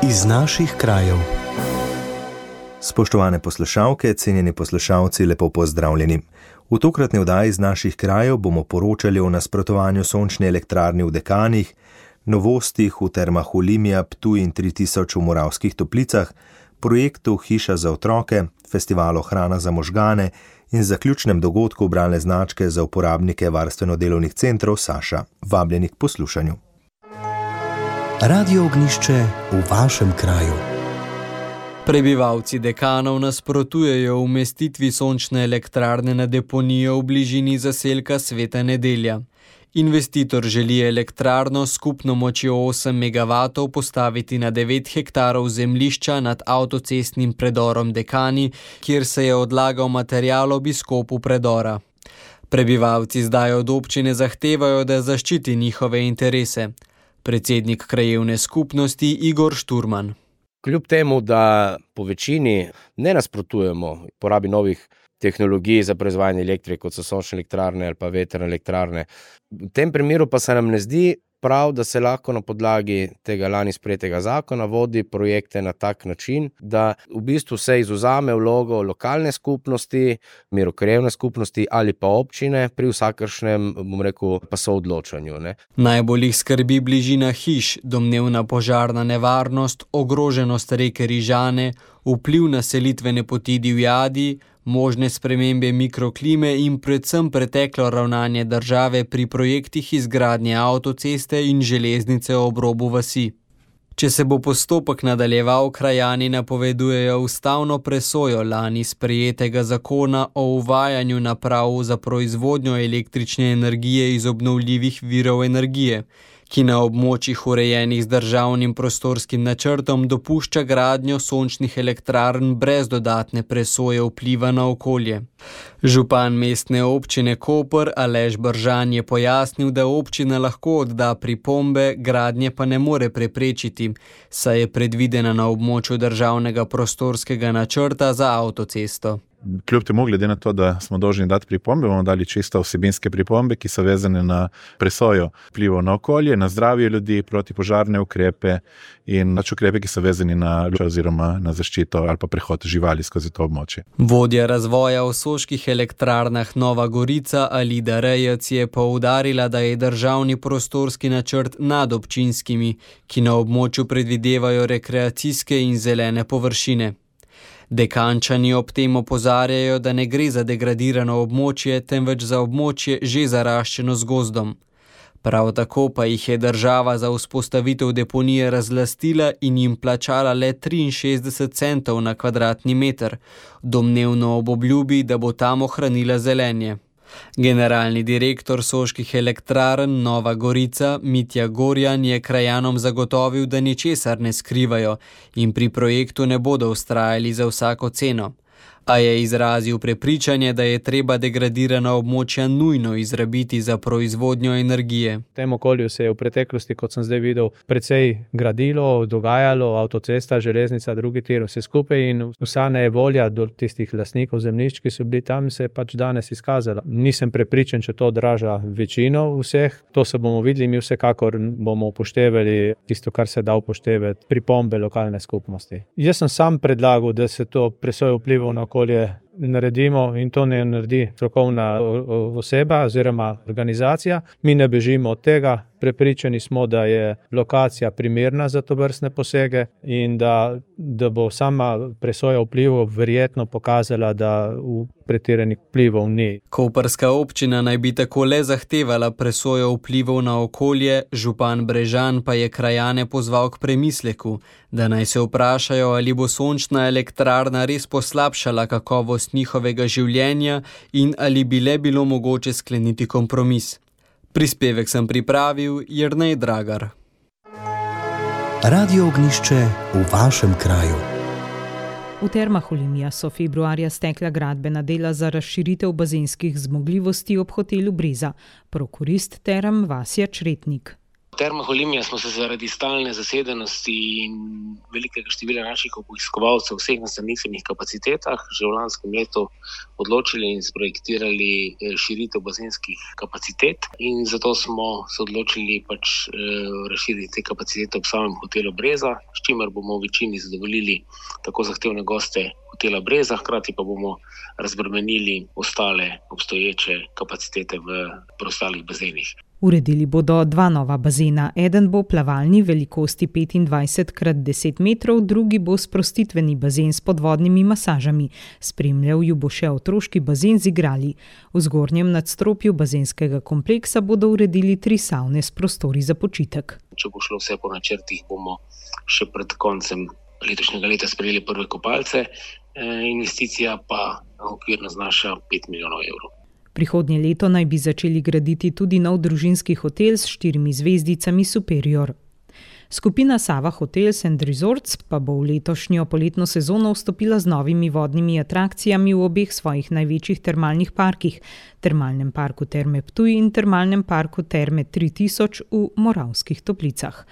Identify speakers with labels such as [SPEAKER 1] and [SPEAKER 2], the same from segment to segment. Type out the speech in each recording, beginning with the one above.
[SPEAKER 1] Iz naših krajev. Spoštovane poslušalke, cenjeni poslušalci, lepo pozdravljeni. V tokratni oddaji iz naših krajev bomo poročali o nasprotovanju sončne elektrarne v Dekanih, novostih v termah Olimia, Ptuj in 3000 v Moravskih Toplicah, projektu Hiša za otroke, festivalu Hrana za možgane in zaključnem dogodku bralne značke za uporabnike varstveno-delovnih centrov Saša. Vabljeni k poslušanju. Radio Ognjišče v vašem kraju.
[SPEAKER 2] Prebivalci Dekanov nasprotujejo umestitvi sončne elektrarne na deponijo v bližini zaselka Sveta Nedelja. Investitor želi elektrarno s skupno močjo 8 MW postaviti na 9 hektarov zemljišča nad avtocestnim predorom Dekani, kjer se je odlagal material ob izkopu predora. Prebivalci zdaj od občine zahtevajo, da zaščiti njihove interese. Predsednik krajevne skupnosti Igor Šturman.
[SPEAKER 3] Kljub temu, da po večini ne nasprotujemo porabi novih tehnologij za proizvajanje elektrike, kot so sončne elektrarne ali pa vetrne elektrarne, v tem primeru pa se nam ne zdi prav, da se lahko na podlagi tega lani sprejetega zakona vodi projekte na tak način, da v bistvu se izvzame vlogo lokalne skupnosti, mirokrajevne skupnosti ali pa občine pri vsakršnem, pa soodločanju.
[SPEAKER 2] Najbolj jih skrbi bližina hiš, domnevna požarna nevarnost, ogroženost reke Rižane, vpliv na selitvene poti divjadi, možne spremembe mikroklime in predvsem preteklo ravnanje države pri projektih izgradnje avtoceste in železnice ob robu vasi. Če se bo postopek nadaljeval, krajani napovedujejo ustavno presojo lani sprejetega zakona o uvajanju naprav za proizvodnjo električne energije iz obnovljivih virov energije, ki na območjih urejenih z državnim prostorskim načrtom dopušča gradnjo sončnih elektrarn brez dodatne presoje vpliva na okolje. Župan mestne občine Koper Aleš Bržan je pojasnil, da občina lahko odda pripombe, gradnje pa ne more preprečiti, saj je predvidena na območju državnega prostorskega načrta za avtocesto.
[SPEAKER 4] Kljub temu, glede na to, da smo dolžni dati pripombe, bomo dali čisto vsebinske pripombe, ki so vezane na presojo vplivov na okolje, na zdravje ljudi, protipožarne ukrepe in ukrepe, ki so vezani na oziroma na zaščito ali pa prehod živali skozi to območje.
[SPEAKER 2] Vodja razvoja v soških elektrarnah Nova Gorica Alida Rejec je poudarila, da je državni prostorski načrt nad občinskimi, ki na območju predvidevajo rekreacijske in zelene površine. Dekančani ob tem opozarjajo, da ne gre za degradirano območje, temveč za območje že zaraščeno z gozdom. Prav tako pa jih je država za vzpostavitev deponije razlastila in jim plačala le 63 centov na kvadratni meter, domnevno ob obljubi, da bo tam ohranila zelenje. Generalni direktor soških elektrarn Nova Gorica Mitja Gorjan je krajanom zagotovil, da ničesar ne skrivajo in pri projektu ne bodo vztrajali za vsako ceno. A je izrazil prepričanje, da je treba degradirana območja nujno izrabiti za proizvodnjo energije.
[SPEAKER 5] V tem okolju se je v preteklosti, kot sem zdaj videl, precej gradilo, dogajalo, avtocesta, železnica, drugi tir, vse skupaj in vsa nevolja do tistih lastnikov zemljišč, ki so bili tam, se je pač danes izkazala. Nisem prepričan, če to odraža večino vseh, to se bomo videli, mi vsekakor bomo upoštevali tisto, kar se da upoštevati, pripombe lokalne skupnosti. Jaz sem sam predlagal, da se to presojo vplivov na okolje naredimo in to ne naredi strokovna oseba oziroma organizacija. Mi ne bežimo od tega, prepričani smo, da je lokacija primerna za tovrstne posege in da bo sama presoja vplivov verjetno pokazala, da v pretiranih vplivov ni.
[SPEAKER 2] Koprska občina naj bi tako le zahtevala presojo vplivov na okolje, župan Brežan pa je krajane pozval k premisleku, da naj se vprašajo, ali bo sončna elektrarna res poslabšala kakovost njihovega življenja in ali bi le bilo mogoče skleniti kompromis. Prispevek sem pripravil Jernej Dragar.
[SPEAKER 1] Radio Ognjišče v vašem kraju.
[SPEAKER 6] V termah Olimia so februarja stekla gradbena dela za razširitev bazenskih zmogljivosti ob hotelu Breza. Prokurist term Vasja Čretnik.
[SPEAKER 7] Termah Olimia smo se zaradi stalne zasedenosti in velikega števila naših obiskovalcev v vseh nastanitvenih kapacitetah že v lanskem letu odločili in sprojektirali širitev bazenskih kapacitet in zato smo se odločili razširiti te kapacitete ob samem hotelu Breza, s čimer bomo v večini zadovoljili tako zahtevne goste hotela Breza, hkrati pa bomo razbremenili ostale obstoječe kapacitete v preostalih bazenih.
[SPEAKER 6] Uredili bodo 2 nova bazena. Eden bo plavalni velikosti 25x10 metrov, drugi bo sprostitveni bazen s podvodnimi masažami. Spremljal ju bo še otroški bazen z igrali. V zgornjem nadstropju bazenskega kompleksa bodo uredili 3 savne s prostori za počitek.
[SPEAKER 7] Če bo šlo vse po načrtih, bomo še pred koncem letošnjega leta sprejeli prve kopalce. Investicija pa okvirno znaša 5 milijonov evrov.
[SPEAKER 6] Prihodnje leto naj bi začeli graditi tudi nov družinski hotel s 4 zvezdicami Superior. Skupina Sava Hotels and Resorts pa bo v letošnjo poletno sezono vstopila z novimi vodnimi atrakcijami v obeh svojih največjih termalnih parkih, Termalnem parku Terme Ptuj in Termalnem parku Terme 3000 v Moravskih Toplicah.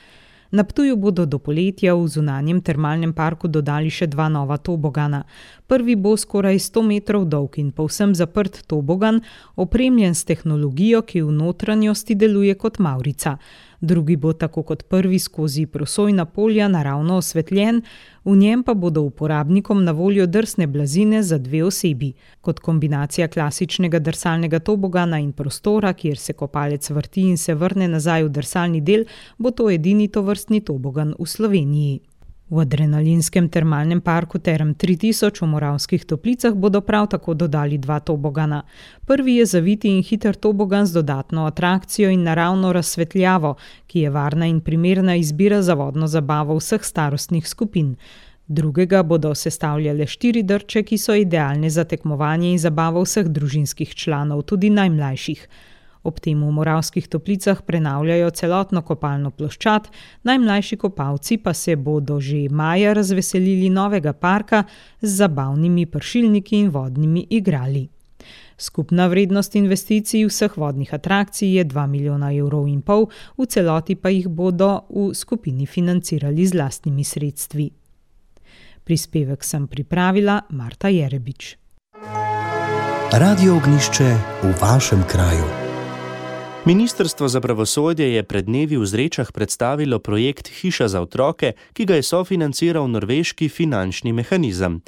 [SPEAKER 6] Na Ptuju bodo do poletja v zunanjem termalnem parku dodali še 2 nova tobogana. Prvi bo skoraj 100 metrov dolg in povsem zaprt tobogan, opremljen s tehnologijo, ki v notranjosti deluje kot mavrica. Drugi bo tako kot prvi skozi prosojna polja naravno osvetljen, v njem pa bodo uporabnikom na voljo drsne blazine za 2 osebi. Kot kombinacija klasičnega drsalnega tobogana in prostora, kjer se kopalec vrti in se vrne nazaj v drsalni del, bo to edini tovrstni tobogan v Sloveniji. V adrenalinskem termalnem parku Term 3000 v Moravskih Toplicah bodo prav tako dodali 2 tobogana. Prvi je zaviti in hiter tobogan z dodatno atrakcijo in naravno razsvetljavo, ki je varna in primerna izbira za vodno zabavo vseh starostnih skupin. Drugega bodo sestavljale 4 drče, ki so idealne za tekmovanje in zabavo vseh družinskih članov, tudi najmlajših. Ob tem v Moravskih Toplicah prenavljajo celotno kopalno ploščad, najmlajši kopalci pa se bodo že maja razveselili novega parka z zabavnimi pršilniki in vodnimi igrali. Skupna vrednost investicij vseh vodnih atrakcij je 2,5 milijona evrov, v celoti pa jih bodo v skupini financirali z lastnimi sredstvi. Prispevek sem pripravila Marta Jerebič.
[SPEAKER 8] Radio Ognjišče v vašem kraju.
[SPEAKER 9] Ministrstvo za pravosodje je pred dnevi v Zrečah predstavilo projekt Hiša za otroke, ki ga je sofinanciral norveški finančni mehanizem.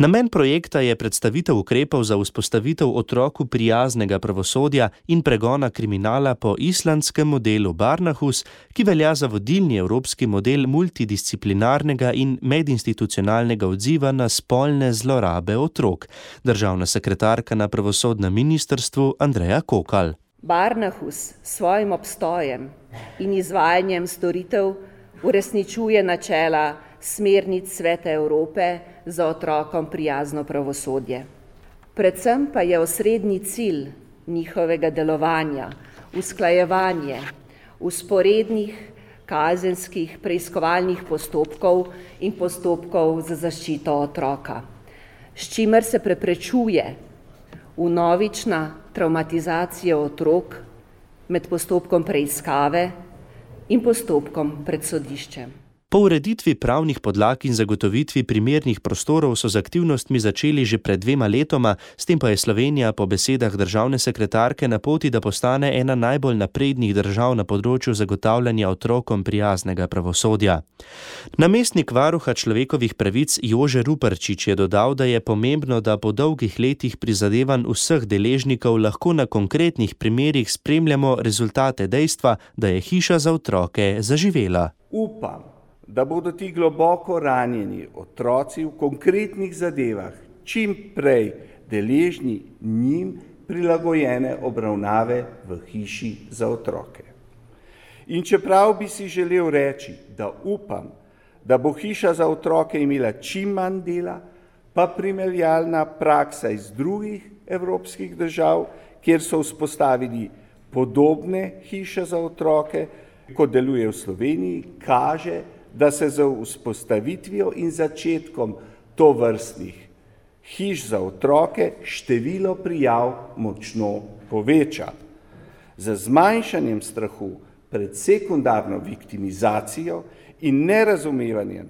[SPEAKER 9] Namen projekta je predstavitev ukrepov za vzpostavitev otroku prijaznega pravosodja in pregona kriminala po islandskem modelu Barnahus, ki velja za vodilni evropski model multidisciplinarnega in medinstitucionalnega odziva na spolne zlorabe otrok. Državna sekretarka na pravosodnem ministrstvu Andreja Kokal.
[SPEAKER 10] Barnahus s svojim obstojem in izvajanjem storitev uresničuje načela smernic Sveta Evrope za otrokom prijazno pravosodje. Predvsem pa je osrednji cilj njihovega delovanja usklajevanje vzporednih kazenskih preiskovalnih postopkov in postopkov za zaščito otroka, s čimer se preprečuje vnovična traumatizacija otrok med postopkom preiskave in postopkom pred sodiščem.
[SPEAKER 9] Po ureditvi pravnih podlag in zagotovitvi primernih prostorov so z aktivnostmi začeli že pred 2 letoma, s tem pa je Slovenija po besedah državne sekretarke na poti, da postane ena najbolj naprednih držav na področju zagotavljanja otrokom prijaznega pravosodja. Namestnik varuha človekovih pravic Jože Ruparčič je dodal, da je pomembno, da po dolgih letih prizadevanj vseh deležnikov lahko na konkretnih primerih spremljamo rezultate dejstva, da je hiša za otroke zaživela.
[SPEAKER 11] Upam, da bodo ti globoko ranjeni otroci v konkretnih zadevah čim prej deležni njim prilagojene obravnave v hiši za otroke. In čeprav bi si želel reči, da upam, da bo hiša za otroke imela čim manj dela, pa primerjalna praksa iz drugih evropskih držav, kjer so vzpostavili podobne hiše za otroke, kot deluje v Sloveniji, kaže, da se z vzpostavitvijo in začetkom tovrstnih hiš za otroke število prijav močno poveča. Z zmanjšanjem strahu pred sekundarno viktimizacijo in nerazumevanjem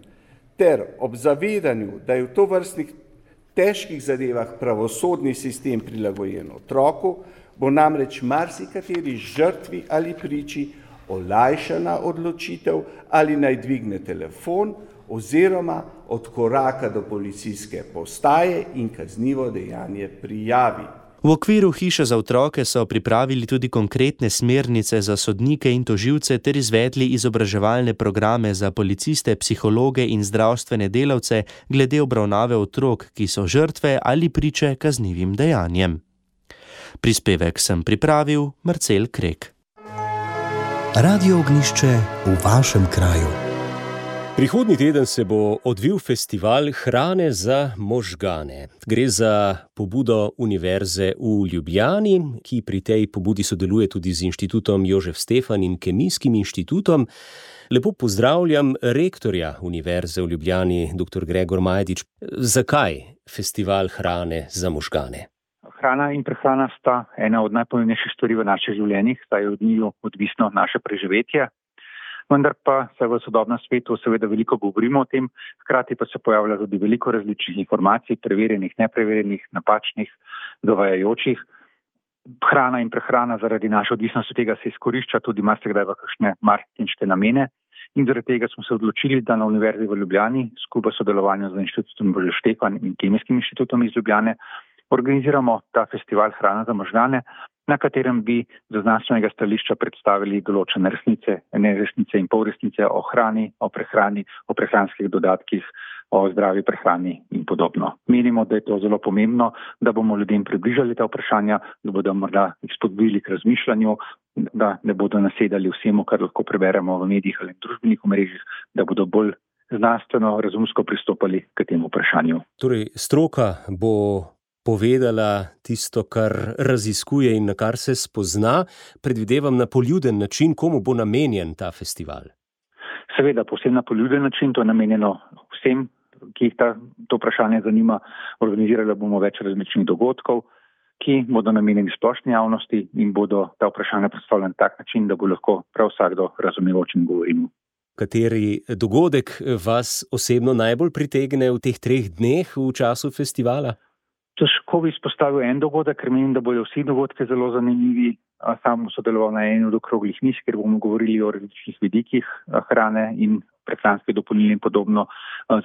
[SPEAKER 11] ter ob zavedanju, da je v tovrstnih težkih zadevah pravosodni sistem prilagojen otroku, bo namreč marsikateri žrtvi ali priči olajšana odločitev, ali naj dvigne telefon oziroma od koraka do policijske postaje in kaznivo dejanje prijavi.
[SPEAKER 9] V okviru Hiše za otroke so pripravili tudi konkretne smernice za sodnike in tožilce ter izvedli izobraževalne programe za policiste, psihologe in zdravstvene delavce glede obravnave otrok, ki so žrtve ali priče kaznivim dejanjem. Prispevek sem pripravil Marcel Krek.
[SPEAKER 8] Radio Ognjišče v vašem kraju.
[SPEAKER 12] Prihodnji teden se bo odvil festival hrane za možgane. Gre za pobudo Univerze v Ljubljani, ki pri tej pobudi sodeluje tudi z Inštitutom Jožef Stefan in Kemijskim inštitutom. Lepo pozdravljam rektorja Univerze v Ljubljani, dr. Gregor Majdič. Zakaj festival hrane za možgane?
[SPEAKER 13] Hrana in prehrana sta ena od najpomembnejših stvari v naših življenjih, saj je od njiju odvisno naše preživetje. Vendar pa se v sodobnem svetu seveda veliko govorimo o tem, hkrati pa se pojavlja tudi veliko različnih informacij, preverjenih, nepreverjenih, napačnih, zavajajočih. Hrana in prehrana zaradi naše odvisnosti tega se izkorišča tudi marsikdaj v kakšne marketinške namene. In zaradi tega smo se odločili, da na Univerzi v Ljubljani skupaj s sodelovanjem z Inštitutom Jožef Stefan in Kemijskim inštitutom iz Ljubljane organiziramo ta festival Hrana za možgane, na katerem bi z znanstvenega stališča predstavili določene resnice, neresnice in polresnice o hrani, o prehrani, o prehranskih dodatkih, o zdravi prehrani in podobno. Menimo, da je to zelo pomembno, da bomo ljudem približali ta vprašanja, da bodo morda jih spodbudili k razmišljanju, da ne bodo nasedali vsemu, kar lahko preberemo v medijih ali družbenih omrežjih, da bodo bolj znanstveno, razumsko pristopali k temu vprašanju.
[SPEAKER 12] Torej, stroka bo povedala tisto, kar raziskuje in na kar se spozna, predvidevam na poljuden način, komu bo namenjen ta festival?
[SPEAKER 13] Seveda, povsem na poljuden način, to je namenjeno vsem, ki jih to vprašanje zanima. Organizirali bomo več različnih dogodkov, ki bodo namenjeni splošni javnosti in bodo ta vprašanja predstavljena na tak način, da bo lahko prav vsakdo razumel, o čem govorimo.
[SPEAKER 12] Kateri dogodek vas osebno najbolj pritegne v teh 3 dneh v času festivala?
[SPEAKER 13] Težko bi izpostavil en dogodek, ker menim, da bodo vsi dogodki zelo zanimivi. Sam bom sodeloval na eni od okroglih miz, kjer bomo govorili o različnih vidikih hrane in prehranskih dopolnil in podobno.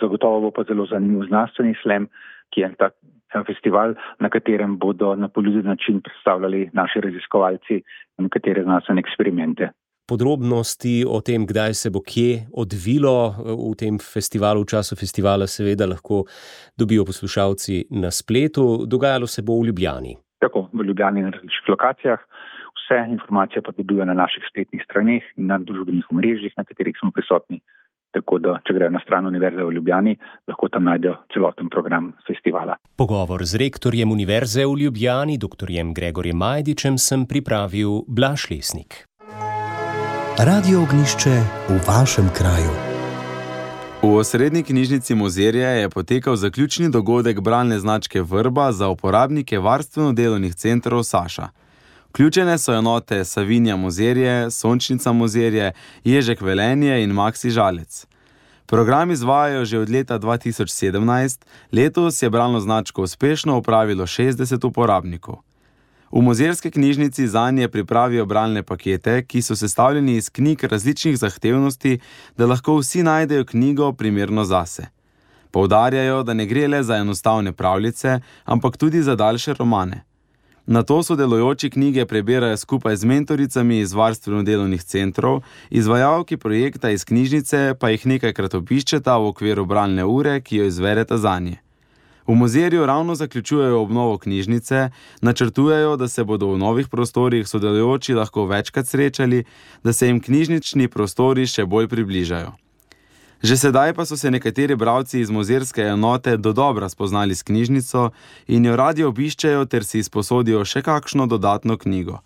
[SPEAKER 13] Zagotovo bo pa zelo zanimiv znanstveni slam, ki je tak festival, na katerem bodo na poljuden način predstavljali naši raziskovalci nekatere znanstvene eksperimente.
[SPEAKER 12] Podrobnosti o tem, kdaj se bo kje odvilo v tem festivalu, v času festivala seveda lahko dobijo poslušalci na spletu. Dogajalo se bo v Ljubljani.
[SPEAKER 13] Tako, v Ljubljani na različnih lokacijah. Vse informacije pa dobijo na naših spletnih straneh in na družbenih omrežjih, na katerih smo prisotni. Tako da, če grejo na stran Univerze v Ljubljani, lahko tam najdejo celoten program festivala.
[SPEAKER 12] Pogovor z rektorjem Univerze v Ljubljani, dr. Gregorjem Majdičem, sem pripravil Blaž Lesnik.
[SPEAKER 8] Radio Ognjišče v vašem kraju.
[SPEAKER 14] V osrednji knjižnici Mozirje je potekal zaključni dogodek bralne značke Vrba za uporabnike varstveno-delovnih centrov Saša. Vključene so enote Savinja Mozirje, Sončnica Mozirje, Ježek Velenje in Maksi Žalec. Program izvajajo že od leta 2017, letos je bralno značko uspešno upravilo 60 uporabnikov. V Mozirski knjižnici zanje pripravijo bralne pakete, ki so sestavljeni iz knjig različnih zahtevnosti, da lahko vsi najdejo knjigo primerno zase. Poudarjajo, da ne gre le za enostavne pravljice, ampak tudi za daljše romane. Nato sodelujoči knjige prebirajo skupaj z mentoricami iz varstveno-delovnih centrov, izvajalki projekta iz knjižnice pa jih nekajkrat obiščeta v okviru bralne ure, ki jo izvedeta zanje. V Mozirju ravno zaključujejo obnovo knjižnice, načrtujejo, da se bodo v novih prostorih sodelujoči lahko večkrat srečali, da se jim knjižnični prostori še bolj približajo. Že sedaj pa so se nekateri bralci iz mozirske enote dodobra spoznali s knjižnico in jo radi obiščejo ter si izposodijo še kakšno dodatno knjigo.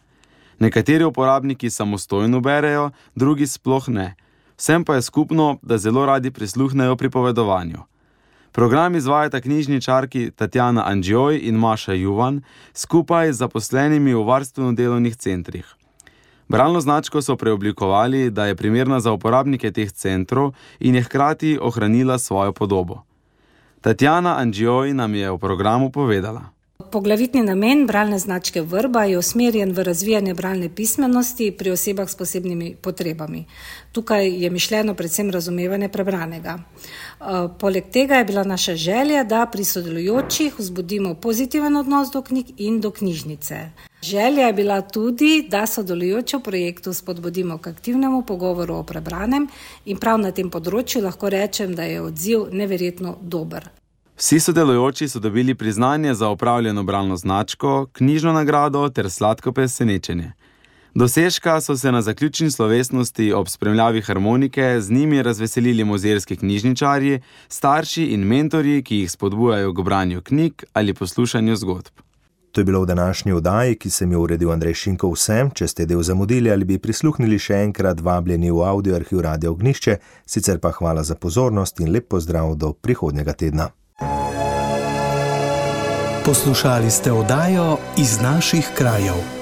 [SPEAKER 14] Nekateri uporabniki samostojno berejo, drugi sploh ne. Vsem pa je skupno, da zelo radi prisluhnejo pripovedovanju. Program izvajata knjižničarki Tatjana Andžjoj in Maša Juvan skupaj z zaposlenimi v varstveno-delovnih centrih. Bralno značko so preoblikovali, da je primerna za uporabnike teh centrov in je hkrati ohranila svojo podobo. Tatjana Anđioj nam je v programu povedala.
[SPEAKER 15] Poglavitni namen bralne značke Vrba je usmerjen v razvijanje bralne pismenosti pri osebah s posebnimi potrebami. Tukaj je mišljeno predvsem razumevanje prebranega. Poleg tega je bila naša želja, da pri sodelujočih vzbudimo pozitiven odnos do knjig in do knjižnice. Želja je bila tudi, da sodelujoče v projektu spodbudimo k aktivnemu pogovoru o prebranem in prav na tem področju lahko rečem, da je odziv neverjetno dober.
[SPEAKER 14] Vsi sodelujoči so dobili priznanje za opravljeno bralno značko, knjižno nagrado ter sladko presenečenje. Dosežka so se na zaključni slovesnosti ob spremljavi harmonike z njimi razveselili muzejski knjižničarji, starši in mentorji, ki jih spodbujajo k branju knjig ali poslušanju zgodb.
[SPEAKER 1] To je bilo v današnji oddaji, ki sem jo uredil Andrej Šinko vsem. Če ste del zamudili ali bi prisluhnili še enkrat, vabljeni v audioarhiv Radio Ognjišče, sicer pa hvala za pozornost in lep pozdrav do prihodnjega tedna.
[SPEAKER 8] Poslušali ste oddajo Iz naših krajev.